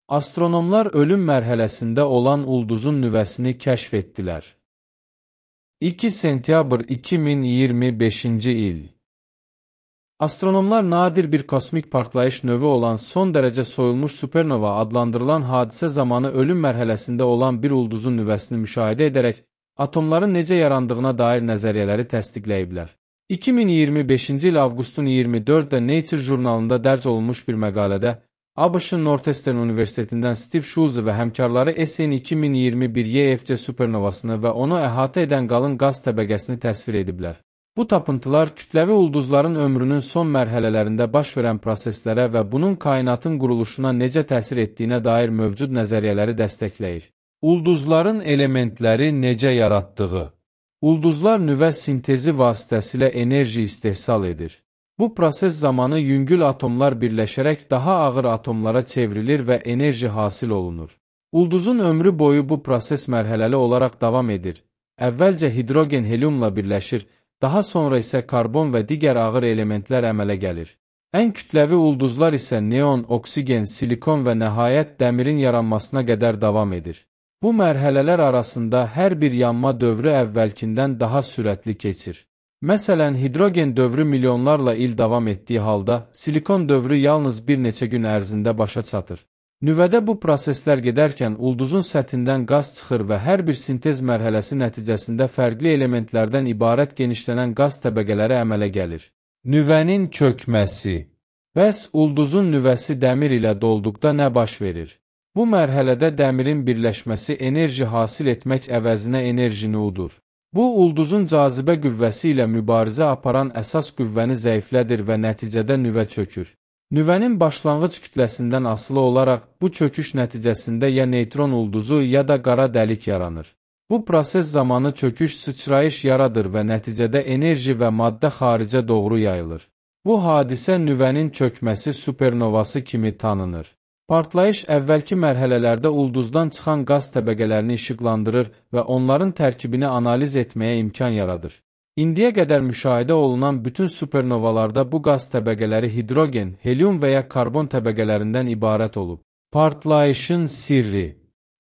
Astronomlar ölüm mərhələsində olan ulduzun nüvəsini kəşf etdilər. 2 sentyabr 2025-ci il. Astronomlar nadir bir kosmik partlayış növü olan son dərəcə soyulmuş supernova adlandırılan hadisə zamanı ölüm mərhələsində olan bir ulduzun nüvəsini müşahidə edərək atomların necə yarandığına dair nəzəriyyələri təsdiqləyiblər. 2025-ci il avqustun 24-də Nature jurnalında dərc olunmuş bir məqalədə ABŞ-ın Northeastern Universitetindən Steve Schulze və həmkarları SN 2021 YFC supernovasını və onu əhatə edən qalın qaz təbəqəsini təsvir ediblər. Bu tapıntılar kütləvi ulduzların ömrünün son mərhələlərində baş verən proseslərə və bunun kainatın quruluşuna necə təsir etdiyinə dair mövcud nəzəriyyələri dəstəkləyir. Ulduzların elementləri necə yaratdığı. Ulduzlar nüvə sintezi vasitəsilə enerji istehsal edir. Bu proses zamanı yüngül atomlar birləşərək daha ağır atomlara çevrilir və enerji hasil olunur. Ulduzun ömrü boyu bu proses mərhələli olaraq davam edir. Əvvəlcə hidrogen heliumla birləşir, daha sonra isə karbon və digər ağır elementlər əmələ gəlir. Ən kütləvi ulduzlar isə neon, oksigen, silikon və nəhayət dəmirin yaranmasına qədər davam edir. Bu mərhələlər arasında hər bir yanma dövrü əvvəlkindən daha sürətli keçir. Məsələn, hidrogen dövrü milyonlarla il davam etdiyi halda, silikon dövrü yalnız bir neçə gün ərzində başa çatır. Nüvədə bu proseslər gedərkən ulduzun səthindən qaz çıxır və hər bir sintez mərhələsi nəticəsində fərqli elementlərdən ibarət genişlənən qaz təbəqələri əmələ gəlir. Nüvənin çökməsi. Bəs ulduzun nüvəsi dəmir ilə dolduqda nə baş verir? Bu mərhələdə dəmirin birləşməsi enerji hasil etmək əvəzinə enerjini udur. Bu, ulduzun cazibə qüvvəsi ilə mübarizə aparan əsas qüvvəni zəiflədir və nəticədə nüvə çökür. Nüvənin başlanğıc kütləsindən asılı olaraq bu çöküş nəticəsində ya neytron ulduzu ya da qara dəlik yaranır. Bu proses zamanı çöküş sıçrayış yaradır və nəticədə enerji və maddə xaricə doğru yayılır. Bu hadisə nüvənin çökməsi supernovası kimi tanınır. Partlayış əvvəlki mərhələlərdə ulduzdan çıxan qaz təbəqələrini işıqlandırır və onların tərkibini analiz etməyə imkan yaradır. İndiyə qədər müşahidə olunan bütün supernovalarda bu qaz təbəqələri hidrogen, helium və ya karbon təbəqələrindən ibarət olub. Partlayışın sirri.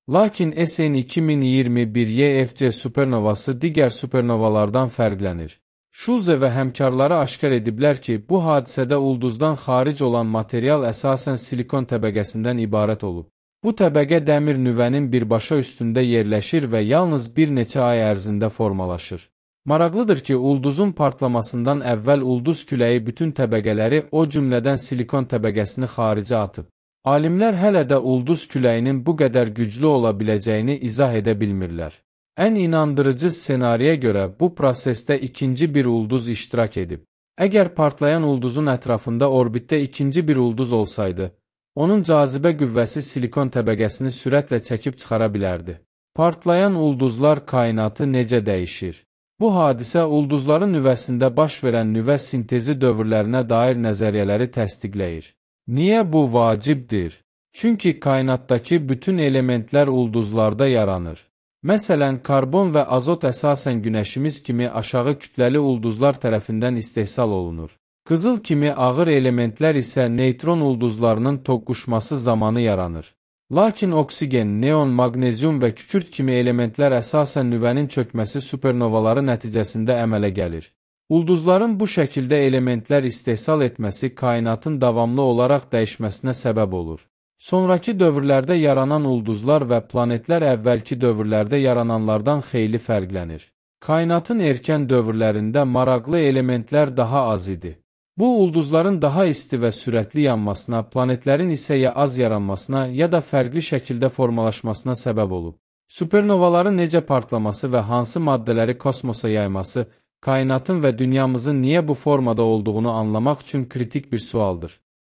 Lakin SN 2021 YFC supernovası digər supernovalardan fərqlənir. Schulze və həmkarları aşkar ediblər ki, bu hadisədə ulduzdan xaric olan material əsasən silikon təbəqəsindən ibarət olub. Bu təbəqə dəmir nüvənin birbaşa üstündə yerləşir və yalnız bir neçə ay ərzində formalaşır. Maraqlıdır ki, ulduzun partlamasından əvvəl ulduz küləyi bütün təbəqələri, o cümlədən silikon təbəqəsini xaricə atıb. Alimlər hələ də ulduz küləyinin bu qədər güclü ola biləcəyini izah edə bilmirlər. Ən inandırıcı ssenariyə görə bu prosesdə ikinci bir ulduz iştirak edib. Əgər partlayan ulduzun ətrafında orbitdə ikinci bir ulduz olsaydı, onun cazibə qüvvəsi silikon təbəqəsini sürətlə çəkib çıxara bilərdi. Partlayan ulduzlar kainatı necə dəyişir? Bu hadisə ulduzların nüvəsində baş verən nüvə sintezi dövrlərinə dair nəzəriyyələri təsdiqləyir. Niyə bu vacibdir? Çünki kainatdakı bütün elementlər ulduzlarda yaranır. Məsələn, karbon və azot əsasən günəşimiz kimi aşağı kütləli ulduzlar tərəfindən istehsal olunur. Qızıl kimi ağır elementlər isə neytron ulduzlarının toqquşması zamanı yaranır. Lakin oksigen, neon, maqnezium və kükürt kimi elementlər əsasən nüvənin çökməsi supernovaları nəticəsində əmələ gəlir. Ulduzların bu şəkildə elementlər istehsal etməsi kainatın davamlı olaraq dəyişməsinə səbəb olur. Sonrakı dövrlərdə yaranan ulduzlar və planetlər əvvəlki dövrlərdə yarananlardan xeyli fərqlənir. Kainatın erkən dövrlərində maraqlı elementlər daha az idi. Bu, ulduzların daha isti və sürətli yanmasına, planetlərin isə ya az yaranmasına, ya da fərqli şəkildə formalaşmasına səbəb olub. Supernovaların necə partlaması və hansı maddələri kosmosa yayması, kainatın və dünyamızın niyə bu formada olduğunu anlamaq üçün kritik bir sualdır.